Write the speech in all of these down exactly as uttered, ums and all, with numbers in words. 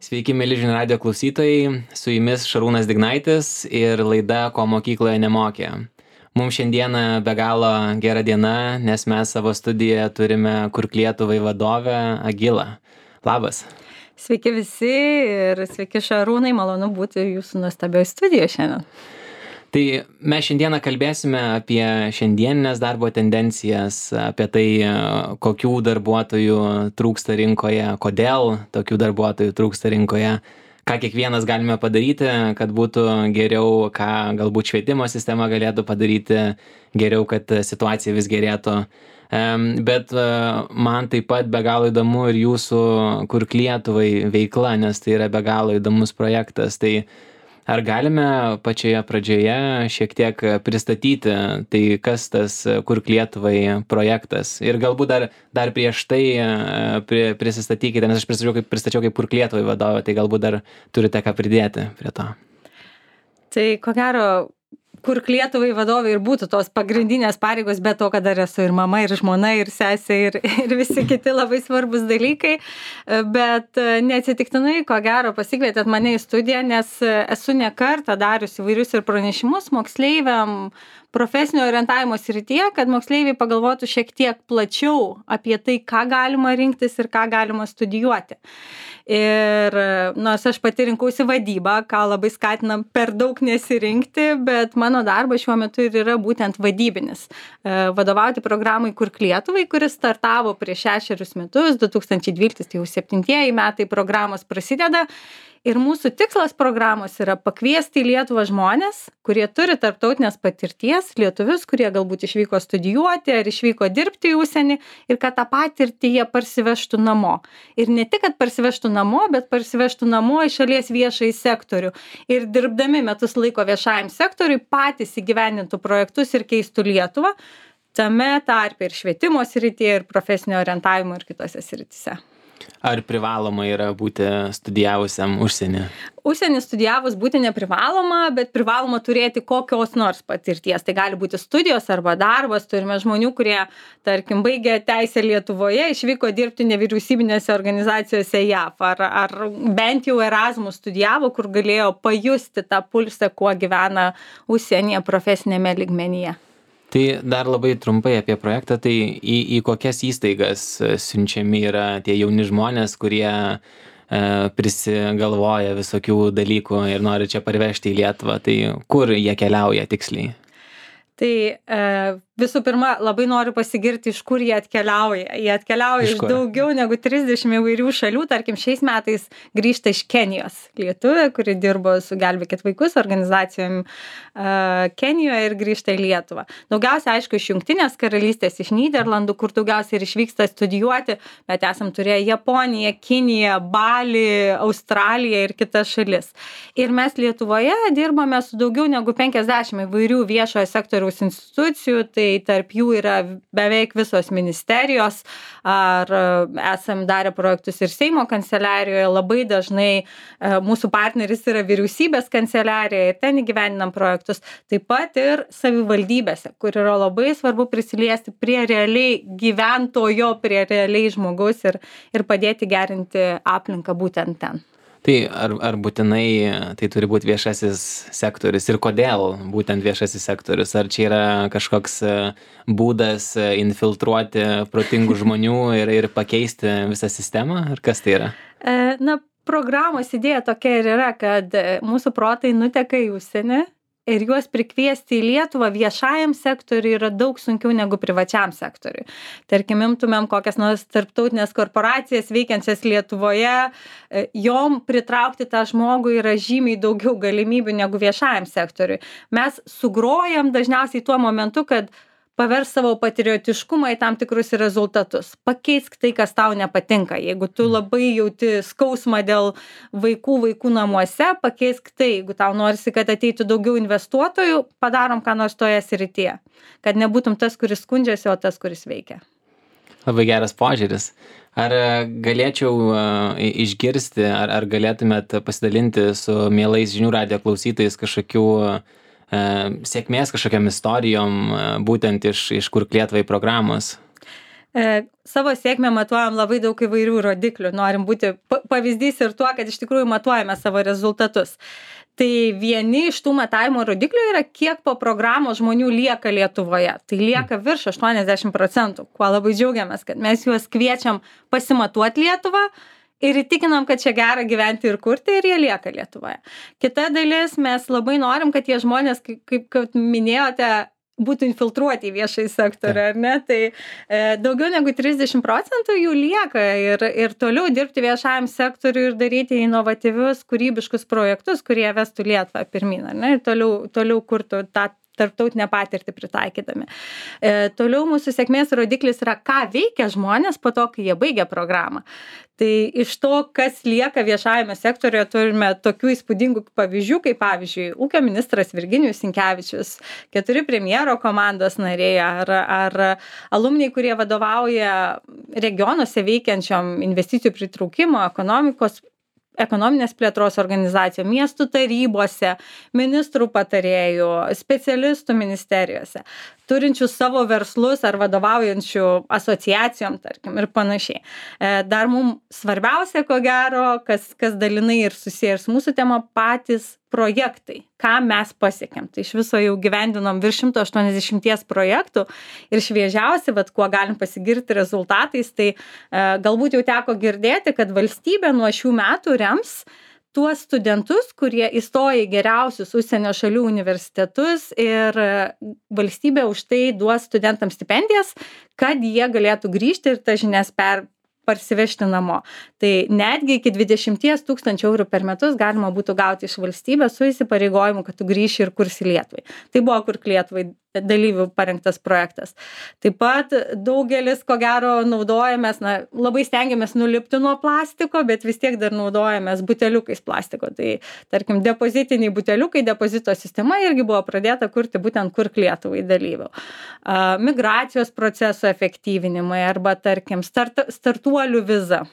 Sveiki, mėly žinių radijo klausytojai, su jumis Šarūnas Dignaitis ir laida Ko mokykloje nemokė. Mums šiandieną be galo gera diena, nes mes savo studijoje turime Kurk Lietuvai vadovę Agilą. Labas. Sveiki visi ir sveiki Šarūnai, malonu būti jūsų nuostabioje studijoje šiandien. Tai mes šiandieną kalbėsime apie šiandieninės darbo tendencijas, apie tai, kokių darbuotojų trūksta rinkoje, kodėl tokių darbuotojų trūksta rinkoje, ką kiekvienas galime padaryti, kad būtų geriau, ką galbūt švietimo sistema galėtų padaryti geriau, kad situacija vis gerėtų. Bet man taip pat be galo įdomu ir jūsų Kurk Lietuvai veikla, nes tai yra be galo įdomus projektas. Tai ar galime pačioje pradžioje šiek tiek pristatyti, tai kas tas Kurk Lietuvai projektas? Ir galbūt dar, dar prieš tai pri, prisistatykite, nes aš pristačiau kaip, pristačiau kaip Kurk Lietuvai vadovą, tai galbūt dar turite ką pridėti prie to. Tai ko gero, Kurk Lietuvai vadovai ir būtų tos pagrindinės pareigos, bet to, kad dar esu ir mama, ir žmona, ir sesė, ir, ir visi kiti labai svarbus dalykai. Bet neatsitiktinai, ko gero, pasikvietėt mane į studiją, nes esu ne kartą darius įvairius ir pranešimus moksleiviam profesinio orientavimo srityje, kad moksleiviai pagalvotų šiek tiek plačiau apie tai, ką galima rinktis ir ką galima studijuoti. Ir nors aš pati rinkausi vadybą, ką labai skatinam per daug nesirinkti, bet mano darbas šiuo metu ir yra būtent vadybinis. Vadovauti programai Kurk Lietuvai, kuris startavo prieš šešerius metus, du tūkstančiai dvyliktais, tai jau septintieji metai programos prasideda. Ir mūsų tikslas programos yra pakviesti į Lietuvą žmonės, kurie turi tarptautinės patirties, lietuvius, kurie galbūt išvyko studijuoti ar išvyko dirbti į užsienį ir kad tą patirtį jie parsivežtų namo. Ir ne tik, kad parsivežtų namo, bet parsivežtų namo į šalies viešąjį sektorių. Ir dirbdami metus laiko viešajam sektoriui patys įgyvendintų projektus ir keistų Lietuvą, tame tarpe ir švietimo srityje, ir profesinio orientavimo ir kitose srityse. Ar privaloma yra būti studijavusiam užsienį? Užsienį studijavus būti neprivaloma, bet privaloma turėti kokios nors patirties. Tai gali būti studijos arba darbas. Turime žmonių, kurie, tarkim, baigė teisę Lietuvoje, išvyko dirbti nevyriausybinėse organizacijose J A V, ar, ar bent jau Erasmus studijavo, kur galėjo pajusti tą pulsą, kuo gyvena užsienyje profesinėme lygmenyje. Tai dar labai trumpai apie projektą, tai į, į kokias įstaigas siunčiami yra tie jauni žmonės, kurie e, prisigalvoja visokių dalykų ir nori čia parvežti į Lietuvą, tai kur jie keliauja tiksliai? Tai e, visų pirma, labai noriu pasigirti, iš kur jie atkeliauja. Jie atkeliauja iš, iš daugiau negu trisdešimt įvairių šalių. Tarkim, šiais metais grįžta iš Kenijos lietuvė, kuri dirbo su Gelbėkit vaikus organizacijom e, Kenijoje ir grįžta į Lietuvą. Daugiausia, aišku, iš Jungtinės karalystės, iš Nyderlandų, kur daugiausiai ir išvyksta studijuoti, bet esam turėję Japoniją, Kiniją, Balį, Australiją ir kitas šalis. Ir mes Lietuvoje dirbame su daugiau negu penkiasdešimt įvairių viešojo sektoriaus institucijų, tai tarp jų yra beveik visos ministerijos, ar esam darę projektus ir Seimo kanceliarijoje, labai dažnai mūsų partneris yra vyriausybės kanceliarija ir ten įgyvendinam projektus, taip pat ir savivaldybėse, kur yra labai svarbu prisiliesti prie realiai gyventojo, prie realiai žmogaus ir, ir padėti gerinti aplinką būtent ten. Tai ar, ar būtinai tai turi būti viešasis sektorius ir kodėl būtent viešasis sektorius? Ar čia yra kažkoks būdas infiltruoti protingų žmonių ir, ir pakeisti visą sistemą? Ar kas tai yra? Na, programos idėja tokia ir yra, kad mūsų protai nuteka į užsienį ir juos prikviesti į Lietuvą viešajam sektoriui yra daug sunkiau negu privačiam sektoriui. Tarkim, imtumėm kokias nors tarptautinės korporacijas veikiančias Lietuvoje, jom pritraukti tą žmogų yra žymiai daugiau galimybių negu viešajam sektoriui. Mes sugrojam dažniausiai tuo momentu, kad pavers savo patriotiškumą į tam tikrus rezultatus. Pakeisk tai, kas tau nepatinka. Jeigu tu labai jauti skausmą dėl vaikų vaikų namuose, pakeisk tai. Jeigu tau norisi, kad ateitų daugiau investuotojų, padarom ką nors toje srityje. Kad nebūtum tas, kuris skundžiasi, o tas, kuris veikia. Labai geras požiūris. Ar galėčiau išgirsti, ar, ar galėtumėt pasidalinti su mielais žinių radijo klausytojais kažkokių sėkmės kažkokiam istorijom būtent iš, iš Kurk Lietuvai programos? E, savo sėkmę matuojam labai daug įvairių rodiklių. Norim būti pavyzdys ir tuo, kad iš tikrųjų matuojame savo rezultatus. Tai vieni iš tų matavimo rodiklių yra, kiek po programos žmonių lieka Lietuvoje. Tai lieka virš aštuoniasdešimt procentų, kuo labai džiaugiamės, kad mes juos kviečiam pasimatuoti Lietuvą ir įtikinam, kad čia gera gyventi ir kurti, ir jie lieka Lietuvoje. Kita dalis, mes labai norim, kad tie žmonės, kaip, kaip, kaip minėjote, būtų infiltruoti į viešąjį sektorių, ar ne? Tai e, daugiau negu trisdešimt procentų jų lieka ir, ir toliau dirbti viešajam sektoriui ir daryti inovatyvius, kūrybiškus projektus, kurie vestų Lietuvą pirmyn, ar ne? Ir toliau, toliau kurtų tą tarptautinę patirtį pritaikydami. E, toliau mūsų sėkmės rodiklis yra, ką veikia žmonės po to, kai jie baigia programą. Tai iš to, kas lieka viešajame sektoriuje, turime tokių įspūdingų pavyzdžių, kaip pavyzdžiui, ūkio ministras Virginijus Sinkevičius, keturi premjero komandos nariai ar, ar alumniai, kurie vadovauja regionuose veikiančiom investicijų pritraukimo, ekonomikos ekonominės plėtros organizacijų, miestų tarybose, ministrų patarėjų, specialistų ministerijose, turinčių savo verslus ar vadovaujančių asociacijom, tarkim, ir panašiai. Dar mums svarbiausia, ko gero, kas, kas dalinai ir susiję ir su mūsų tema, patys projektai, ką mes pasiekėm. Tai iš viso jau gyvendinom virš šimto aštuoniasdešimties projektų ir šviežiausi, bet kuo galim pasigirti rezultatais, tai e, galbūt jau teko girdėti, kad valstybė nuo šių metų rems tuos studentus, kurie įstoja į geriausius užsienio šalių universitetus ir valstybė už tai duos studentams stipendijas, kad jie galėtų grįžti ir tas žinias per parsivežti namo. Tai netgi iki dvidešimt tūkstančių eurų per metus galima būtų gauti iš valstybės su įsipareigojimu, kad tu grįši ir kursi Lietuvai. Tai buvo Kurk Lietuvai dalyvių parengtas projektas. Taip pat daugelis, ko gero, naudojamės, na, labai stengiamės nulipti nuo plastiko, bet vis tiek dar naudojamės buteliukais plastiko. Tai, tarkim, depozitiniai buteliukai, depozito sistema irgi buvo pradėta kurti būtent Kurk Lietuvai dalyvių. Migracijos proceso efektyvinimai arba, tarkim, start, startuolių viza,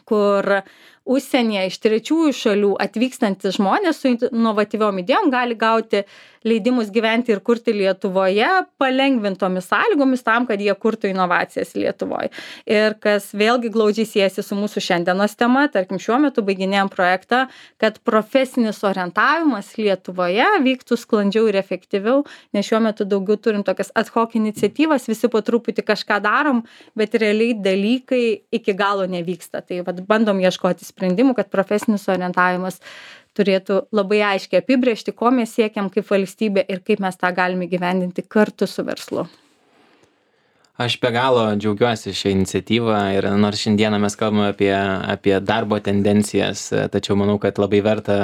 kur užsienyje iš trečiųjų šalių atvykstantys žmonės su inovatyviom idėjom gali gauti leidimus gyventi ir kurti Lietuvoje palengvintomis sąlygomis tam, kad jie kurtų inovacijas Lietuvoje. Ir kas vėlgi glaudžiai siejasi su mūsų šiandienos tema, tarkim, šiuo metu baiginėjom projektą, kad profesinis orientavimas Lietuvoje vyktų sklandžiau ir efektyviau, nes šiuo metu daugiau turim tokias ad hoc iniciatyvas, visi po truputį kažką darom, bet realiai dalykai iki galo nevyksta. Tai vat, bandom ieškoti sprendimų, kad profesinis orientavimas turėtų labai aiškiai apibrėžti, ko mes siekiam kaip valstybė ir kaip mes tą galime gyvendinti kartu su verslu. Aš be galo džiaugiuosi šią iniciatyvą ir nors šiandieną mes kalbame apie, apie darbo tendencijas, tačiau manau, kad labai verta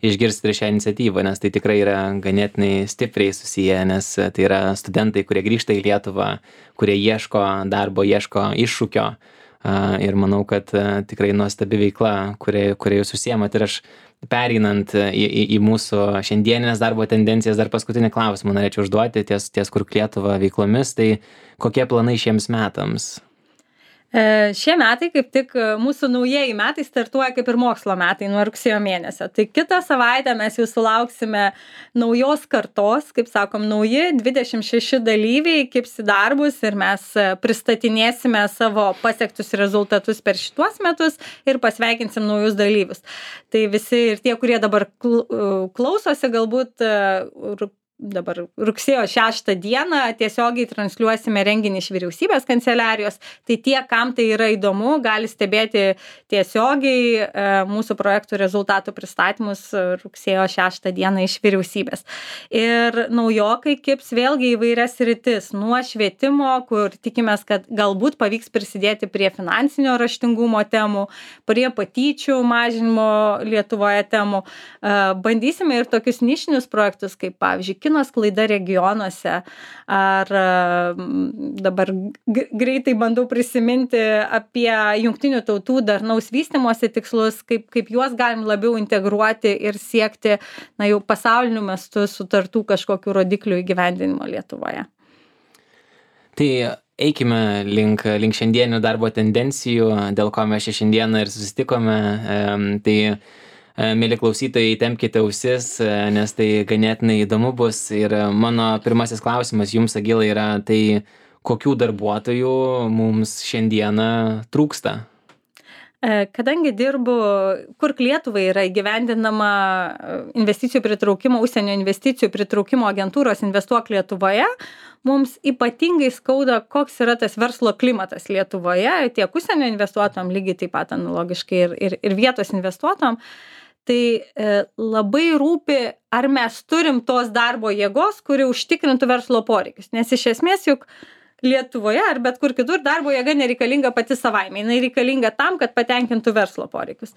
išgirsti ir šią iniciatyvą, nes tai tikrai yra ganėtinai stipriai susiję, nes tai yra studentai, kurie grįžta į Lietuvą, kurie ieško darbo, ieško iššūkio. Ir manau, kad tikrai nuostabi veikla, kuria, kuria jūs užsiemat. Ir aš pereinant į, į, į mūsų šiandieninės darbo tendencijas, dar paskutinį klausimą norėčiau užduoti ties, ties Kurk Lietuva veiklomis. Tai kokie planai šiems metams? Šie metai, kaip tik mūsų naujieji metai, startuoja kaip ir mokslo metai nuo rugsėjo mėnesio. Tai kitą savaitę mes jau sulauksime naujos kartos, kaip sakom, nauji dvidešimt šeši dalyviai kibs į darbus ir mes pristatinėsime savo pasiektus rezultatus per šituos metus ir pasveikinsim naujus dalyvius. Tai visi ir tie, kurie dabar klausosi, galbūt dabar rugsėjo šeštą dieną tiesiogiai transliuosime renginį iš vyriausybės kanceliarijos, tai tie, kam tai yra įdomu, gali stebėti tiesiogiai e, mūsų projektų rezultatų pristatymus rugsėjo šeštą dieną iš vyriausybės. Ir naujokai kibs vėlgi įvairias sritis, nuo švietimo, kur tikimės, kad galbūt pavyks prisidėti prie finansinio raštingumo temų, prie patyčių mažinimo Lietuvoje temų. E, bandysime ir tokius nišinius projektus, kaip pavyzdžiui, kino sklaida regionuose, ar dabar greitai bandau prisiminti apie jungtinių tautų darnaus vystymosi tikslus, kaip, kaip juos galim labiau integruoti ir siekti, na, jau pasauliniu mastu sutartų kažkokių rodiklių įgyvendinimo Lietuvoje. Tai eikime link, link šiandienių darbo tendencijų, dėl ko mes šiandieną ir susitikome. Tai Mėly klausytojai, tempkite ausis, nes tai ganėtinai įdomu bus. Ir mano pirmasis klausimas jums, Agilai, yra tai, kokių darbuotojų mums šiandieną trūksta? Kadangi dirbu, kur Lietuvai yra įgyvendinama investicijų pritraukimo, užsienio investicijų pritraukimo agentūros Investuok Lietuvoje, mums ypatingai skauda, koks yra tas verslo klimatas Lietuvoje, tiek užsienio investuotojam, lygiai taip pat analogiškai ir, ir, ir vietos investuotojam. Tai e, labai rūpi, ar mes turim tos darbo jėgos, kuri užtikrintų verslo poreikius. Nes iš esmės juk Lietuvoje ar bet kur kitur darbo jėga nereikalinga pati savaime, jinai reikalinga tam, kad patenkintų verslo poreikius.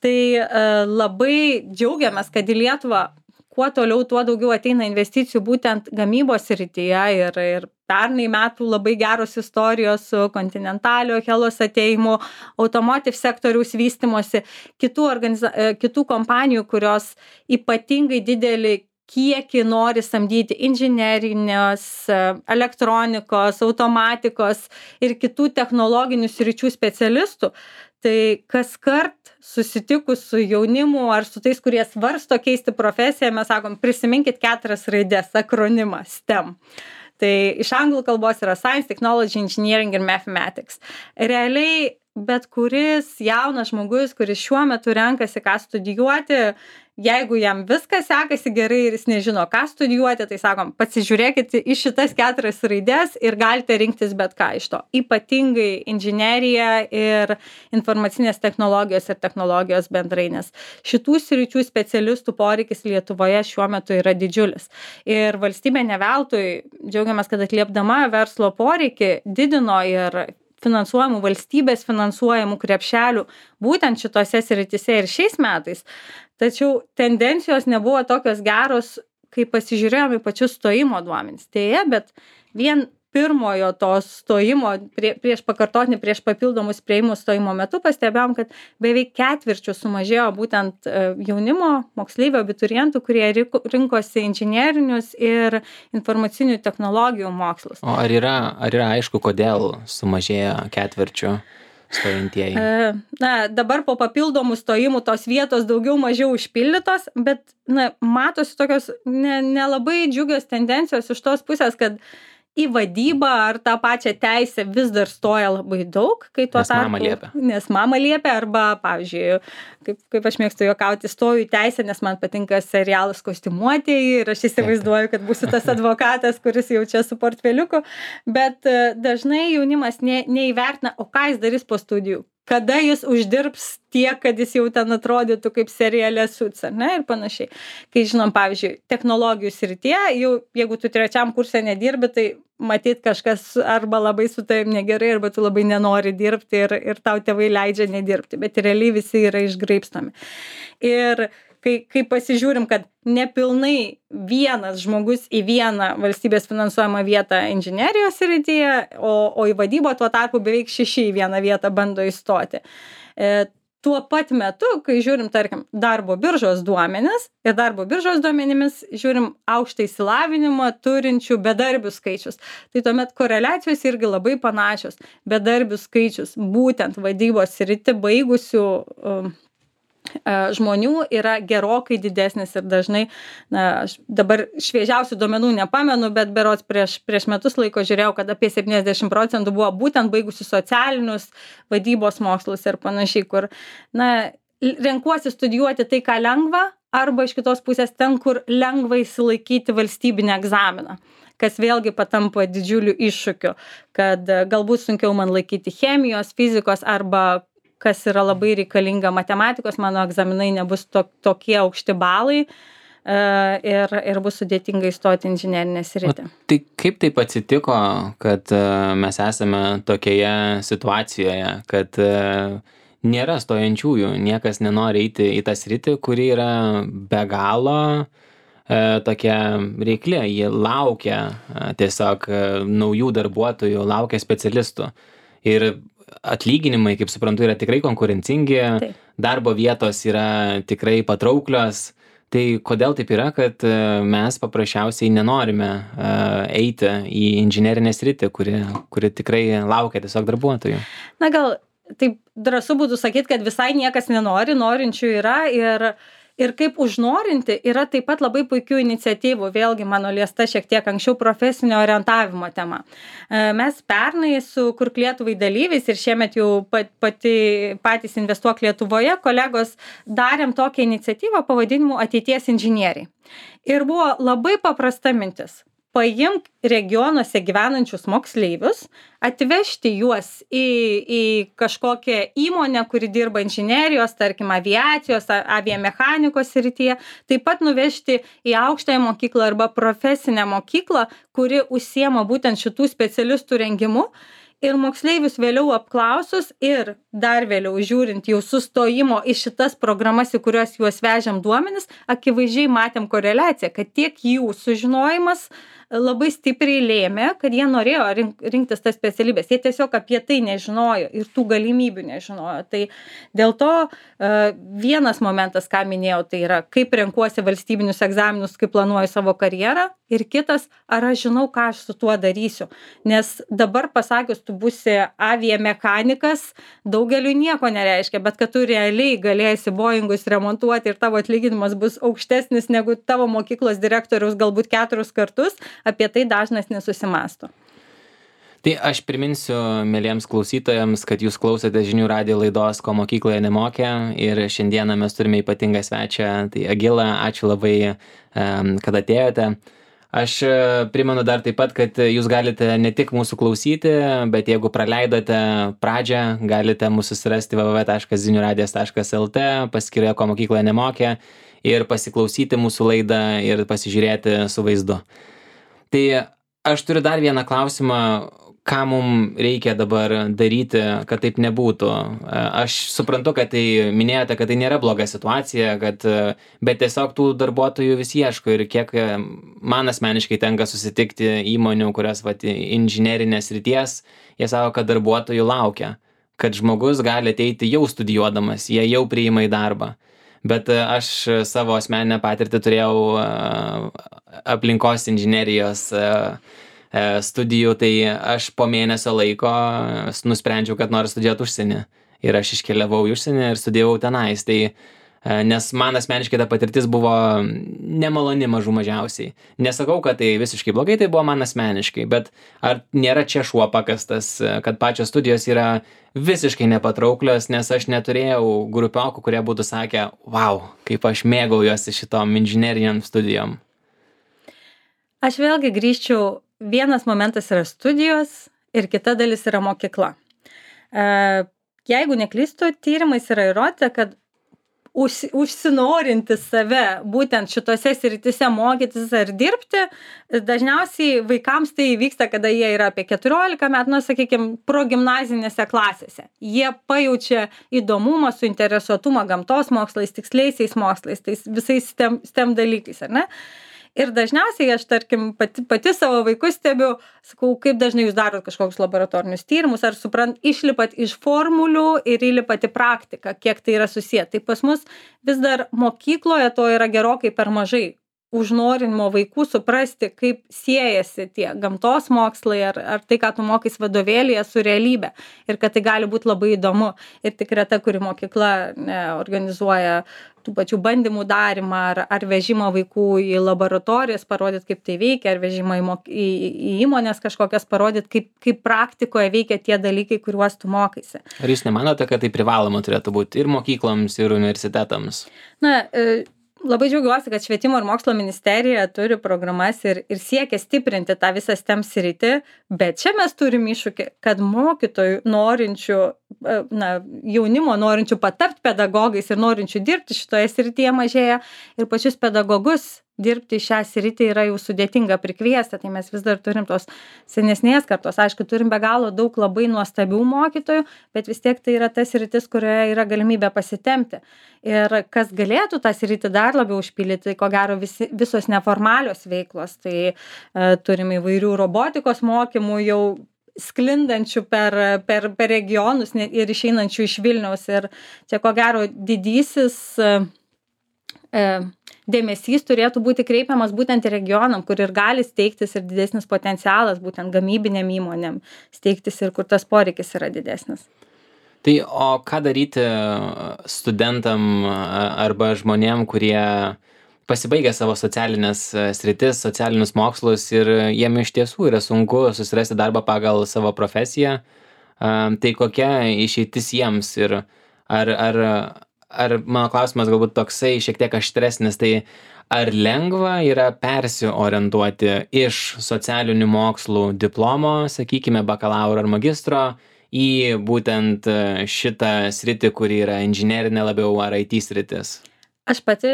Tai e, labai džiaugiamės, kad į Lietuvą kuo toliau, tuo daugiau ateina investicijų būtent gamybos srityje ir, ir pernai metų labai geros istorijos su Continentalio, Helos atėjimu, automotive sektoriaus vystimosi, kitų, organiza... kitų kompanijų, kurios ypatingai didelį kiekį nori samdyti inžinerinės, elektronikos, automatikos ir kitų technologinių sričių specialistų. Tai kaskart susitikus su jaunimu ar su tais, kurie svarsto keisti profesiją, mes sakom, prisiminkit keturias raidės, akronimą STEM. Tai iš anglų kalbos yra Science, Technology, Engineering ir Mathematics. Realiai bet kuris jaunas žmogus, kuris šiuo metu renkasi, ką studijuoti, jeigu jam viskas sekasi gerai ir jis nežino, ką studijuoti, tai sakom, pasižiūrėkit į šitas keturias raidės ir galite rinktis bet ką iš to. Ypatingai inžinerija ir informacinės technologijos ir technologijos bendrai, nes šitų sričių specialistų poreikis Lietuvoje šiuo metu yra didžiulis. Ir valstybė ne veltui, džiaugiamės, kad atliepdama verslo poreikį didino ir finansuojamų valstybės finansuojamų krepšelių būtent šitose srityse ir šiais metais. Tačiau tendencijos nebuvo tokios geros, kai pasižiūrėjome į pačius stojimo duomenis. Deja, bet vien pirmojo to stojimo, prie, prieš pakartotinį, prieš papildomus priėjimus stojimo metu pastebėjom, kad beveik ketvirčių sumažėjo būtent jaunimo, moksleivių, abiturientų, kurie rinkosi inžinerinius ir informacinių technologijų mokslus. O ar yra, ar yra aišku, kodėl sumažėjo ketvirčių stojantieji? Na, dabar po papildomų stojimų tos vietos daugiau mažiau užpildytos, bet na, matosi tokios nelabai ne džiugios tendencijos iš tos pusės, kad į vadybą ar tą pačią teisę vis dar stoja labai daug, kai tuo nes tarpu, mama liepia. Nes mama liepia, arba, pavyzdžiui, kaip, kaip aš mėgstu juokauti, stoju į teisę, nes man patinka serialas Kostiumuotieji ir aš įsivaizduoju, kad būsiu tas advokatas, kuris jau čia su portfeliuku, bet dažnai jaunimas ne, neįvertina, o ką jis darys po studijų. Kada jis uždirbs tiek, kad jis jau ten atrodytų kaip serialė Suits, ar ne, ir panašiai. Kai žinom, pavyzdžiui, technologijų srityje, jau jeigu tu trečiam kurse nedirbi, tai matyt kažkas arba labai su tavim negerai, arba tu labai nenori dirbti ir, ir tau tėvai leidžia nedirbti, bet realiai visi yra išgraibstomi. Ir kai, kai pasižiūrim, kad nepilnai vienas žmogus į vieną valstybės finansuojamą vietą inžinerijos srityje, o, o į vadybą tuo tarpu beveik šeši į vieną vietą bando įstoti. E, tuo pat metu, kai žiūrim, tarkim, darbo biržos duomenis ir darbo biržos duomenimis žiūrim aukštą išsilavinimą turinčių bedarbių skaičius, tai tuomet koreliacijos irgi labai panašios. Bedarbių skaičius būtent vadybos sritį baigusių um, žmonių yra gerokai didesnis ir dažnai, na, aš dabar šviežiausių duomenų nepamenu, bet berods prieš, prieš metus laiko žiūrėjau, kad apie septyniasdešimt procentų buvo būtent baigusių socialinius vadybos mokslus ir panašiai, kur, na, renkuosi studijuoti tai, ką lengva, arba iš kitos pusės ten, kur lengva įsilaikyti valstybinį egzaminą, kas vėlgi patampa didžiuliu iššūkiu, kad galbūt sunkiau man laikyti chemijos, fizikos arba kas yra labai reikalinga matematikos, mano egzaminai nebus to, tokie aukšti balai uh, ir, ir bus sudėtinga įstoti inžinerinę sritį. O tai kaip taip atsitiko, kad uh, mes esame tokioje situacijoje, kad uh, nėra stojančiųjų, niekas nenori eiti į tą sritį, kuri yra be galo uh, tokia reiklė, jie laukia uh, tiesiog uh, naujų darbuotojų, laukia specialistų. Ir atlyginimai, kaip suprantu, yra tikrai konkurencingi, taip. Darbo vietos yra tikrai patrauklios. Tai kodėl taip yra, kad mes paprasčiausiai nenorime eiti į inžinerinę sritį, kuri, kuri tikrai laukia tiesiog darbuotojų? Na gal taip drąsu būtų sakyti, kad visai niekas nenori, norinčių yra ir Ir kaip užnorinti yra taip pat labai puikių iniciatyvų, vėlgi mano liesta šiek tiek anksčiau profesinio orientavimo tema. Mes pernai su Kurk Lietuvai dalyviais ir šiemet jau pati, patys Investuok Lietuvoje kolegos darėm tokią iniciatyvą pavadinimu Ateities inžinieriai. Ir buvo labai paprasta mintis. Paimk regionuose gyvenančius moksleivius, atvežti juos į, į kažkokią įmonę, kuri dirba inžinerijos, tarkim, aviacijos, aviamechanikos srityje, taip pat nuvežti į aukštąją mokyklą arba profesinę mokyklą, kuri užsiema būtent šitų specialistų rengimu. Ir moksleivius vėliau apklausus ir dar vėliau žiūrint jau sustojimo į šitas programas, į kurias juos vežiam duomenis, akivaizdžiai matėm koreliaciją, kad tiek jų sužinojimas labai stipriai lėmė, kad jie norėjo rink, rinktis tas specialybės. Jie tiesiog apie tai nežinojo ir tų galimybių nežinojo. Tai dėl to vienas momentas, ką minėjau, tai yra, kaip renkuosi valstybinius egzaminus, kaip planuoju savo karjerą. Ir kitas, ar aš žinau, ką aš su tuo darysiu. Nes dabar pasakius, tu būsi aviamechanikas, daugeliu nieko nereiškia, bet kad tu realiai galėsi Boeingus remontuoti ir tavo atlyginimas bus aukštesnis negu tavo mokyklos direktoriaus galbūt keturis kartus, apie tai dažnas nesusimąsto. Tai aš priminsiu mieliems klausytojams, kad jūs klausote žinių radijo laidos, ko mokykloje nemokė, ir šiandieną mes turime ypatingą svečią, tai Agila, ačiū labai, kad atėjote. Aš primenu dar taip pat, kad jūs galite ne tik mūsų klausyti, bet jeigu praleidote pradžią, galite mūsų susirasti w w w taškas zinių radijas taškas l t, paskyroje, ko mokykloje nemokė, ir pasiklausyti mūsų laidą ir pasižiūrėti su vaizdu. Tai aš turiu dar vieną klausimą, ką mums reikia dabar daryti, kad taip nebūtų. Aš suprantu, kad tai minėjote, kad tai nėra bloga situacija, kad, bet tiesiog tų darbuotojų vis ieško ir kiek man asmeniškai tenka susitikti įmonių, kurios vat, inžinerinės ryties, jie sako, kad darbuotojų laukia, kad žmogus gali ateiti jau studijuodamas, jie jau priima į darbą. Bet aš savo asmeninę patirtį turėjau aplinkos inžinerijos studijų, tai aš po mėnesio laiko nusprendžiau, kad noriu studijuoti užsienį. Ir aš iškeliavau į užsienį ir studijavau tenais. Tai, nes man asmeniškai ta patirtis buvo nemaloni mažų mažiausiai. Nesakau, kad tai visiškai blogai, tai buvo man asmeniškai, bet ar nėra čia šuo pakastas, kad pačios studijos yra visiškai nepatrauklios, nes aš neturėjau grupiokų, kurie būtų sakę, wow, kaip aš mėgaujuosi šitom inžinerijom studijom. Aš vėlgi grįžčiau. Vienas momentas yra studijos ir kita dalis yra mokykla. Jeigu neklystu, tyrimais yra įrodyta, kad už, užsinorinti save būtent šitose srityse mokytis ar dirbti, dažniausiai vaikams tai vyksta, kada jie yra apie keturiolika metų, nu, sakykime, progimnazinėse klasėse. Jie pajaučia įdomumą, suinteresuotumą gamtos mokslais, tiksliaisiais mokslais, tais visais STEM, STEM dalykais, ar ne? Ir dažniausiai aš, tarkim, pati, pati savo vaikus stebiu, sakau, kaip dažnai jūs darot kažkokius laboratorinius tyrimus, ar suprant, išlipat iš formulių ir įlipat į praktiką, kiek tai yra susiję. Tai pas mus vis dar mokykloje to yra gerokai per mažai. Užnorinimo vaikų suprasti, kaip siejasi tie gamtos mokslai ar, ar tai, ką tu mokais vadovėlyje su realybė. Ir kad tai gali būti labai įdomu. Ir tik reta, kuri mokykla ne, organizuoja tų pačių bandymų darimą ar, ar vežimą vaikų į laboratorijas, parodyti, kaip tai veikia, ar vežimą į, mok... į, į įmonės kažkokias, parodyti, kaip, kaip praktikoje veikia tie dalykai, kuriuos tu mokaisi. Ar jūs nemanote, kad tai privaloma turėtų būti ir mokykloms, ir universitetams? Na, e... Labai džiaugiuosi, kad Švietimo ir mokslo ministerija turi programas ir, ir siekia stiprinti tą visą STEM sritį, bet čia mes turim iššūkį, kad mokytojų norinčių, na, jaunimo norinčių patapti pedagogais ir norinčių dirbti šitoje srityje mažėja ir pačius pedagogus dirbti šią sritį yra jau sudėtinga prikviesti, tai mes vis dar turim tos senesnės kartos. Aišku, turim be galo daug labai nuostabių mokytojų, bet vis tiek tai yra ta sritis, kurioje yra galimybė pasitempti. Ir kas galėtų tą sritį dar labiau užpildyti, tai ko gero visi, visos neformalios veiklos. Tai e, turim įvairių robotikos mokymų jau sklindančių per, per, per regionus ir išeinančių iš Vilniaus. Ir čia ko gero didysis e, dėmesys turėtų būti kreipiamas būtent regionam, kur ir gali steigtis ir didesnis potencialas būtent gamybinėm įmonėm steigtis ir kur tas poreikis yra didesnis. Tai o ką daryti studentam arba žmonėm, kurie pasibaigia savo socialines sritis, socialinius mokslus ir jiem iš tiesų yra sunku susirasti darbą pagal savo profesiją? Tai kokia išeitis jiems ir ar, ar, ar mano klausimas galbūt toksai šiek tiek aštresnis, tai ar lengva yra persiorientuoti iš socialinių mokslų diplomo, sakykime, bakalauro ar magistro, į būtent šitą sritį, kuri yra inžinerinė labiau ar I T sritis? Aš pati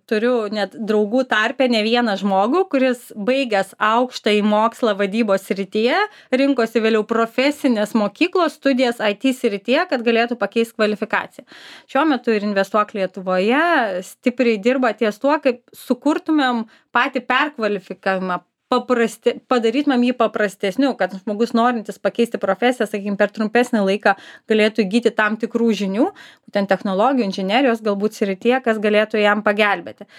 turiu net draugų tarpe ne vieną žmogų, kuris baigęs aukštąjį mokslą vadybos srityje, rinkosi vėliau profesinės mokyklos studijas I T srityje, kad galėtų pakeisti kvalifikaciją. Šiuo metu ir Investuok Lietuvoje stipriai dirba ties tuo, kaip sukurtumėm patį perkvalifikavimą, paprasti, padarytumėm jį paprastesniu, kad žmogus norintis pakeisti profesiją, sakykime, per trumpesnį laiką galėtų įgyti tam tikrų žinių, būtent technologijų, inžinerijos galbūt srityje, kas galėtų jam pagelbėti.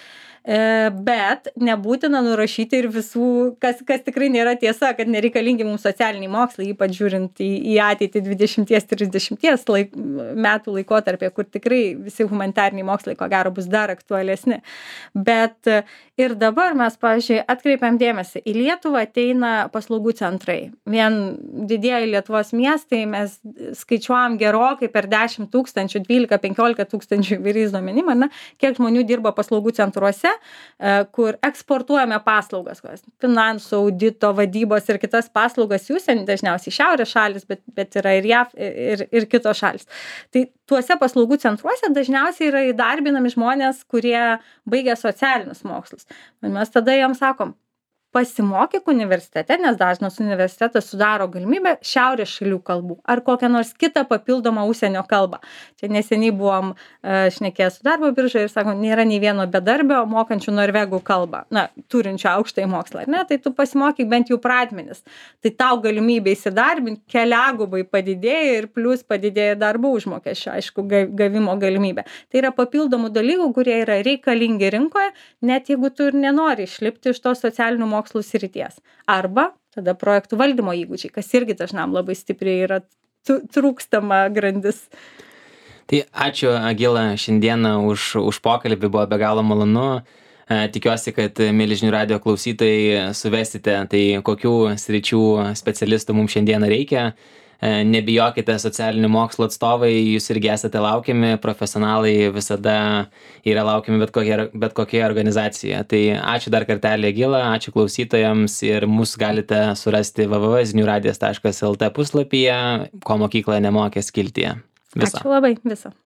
Bet nebūtina nurašyti ir visų, kas, kas tikrai nėra tiesa, kad nereikalingi mums socialiniai mokslai, ypač žiūrint į, į ateitį dvidešimt trisdešimt laik, metų laikotarpį, kur tikrai visi humanitariniai mokslai ko gero bus dar aktualesni. Bet ir dabar mes, pavyzdžiui, atkreipiam dėmesį, į Lietuvą ateina paslaugų centrai. Vien didieji Lietuvos miestai mes skaičiuojam gerokai per dešimt tūkstančių, dvylika penkiolika tūkstančių įvairiais duomenim, ar ne, kiek žmonių dirba paslaugų centruose, kur eksportuojame paslaugas, finansų, audito, vadybos ir kitas paslaugas į užsienį, dažniausiai šiaurės šalis, bet, bet yra ir J A V ir, ir kitos šalis. Tai tuose paslaugų centruose dažniausiai yra įdarbinami žmonės, kurie baigia socialinius mokslus. Mes tada jiems sakom, pasimokyk universitete, nes dažnas universitetas sudaro galimybę šiaurės šalių kalbų ar kokią nors kitą papildomą užsienio kalbą. Čia neseniai buvom uh, šnekėję su darbo biržoje ir sakom, nėra nei vieno bedarbio mokančių norvegų kalbą, na, turinčių aukštąjį mokslą, ar ne? Tai tu pasimokyk bent jau pradmenis. Tai tau galimybė įsidarbinti keliagubai padidėja ir plus padidėja darbo užmokesčio, aišku, gavimo galimybė. Tai yra papildomų dalykų, kurie yra reikalingi rinkoje, net jeigu tu ir nenori išlipti iš to socialinių mokslų mokslų srities. Arba tada projektų valdymo įgūdžiai, kas irgi dažnam labai stipriai yra trūkstama grandis. Tai ačiū, Agila, šiandieną už, už pokalbį, buvo be galo malonu. Tikiuosi, kad mieli žinių radijo klausytojai suvesite, tai kokių sričių specialistų mums šiandieną reikia. Nebijokite, socialinių mokslų atstovai, jūs irgi esate laukiami, profesionalai visada yra laukiami bet kokie, bet kokie organizacijoje. Tai ačiū dar kartelį, Agila, ačiū klausytojams ir mus galite surasti w w w taškas zinių radijas taškas l t puslapyje, ko mokykla nemokė skiltyje. Viso. Ačiū labai, viso.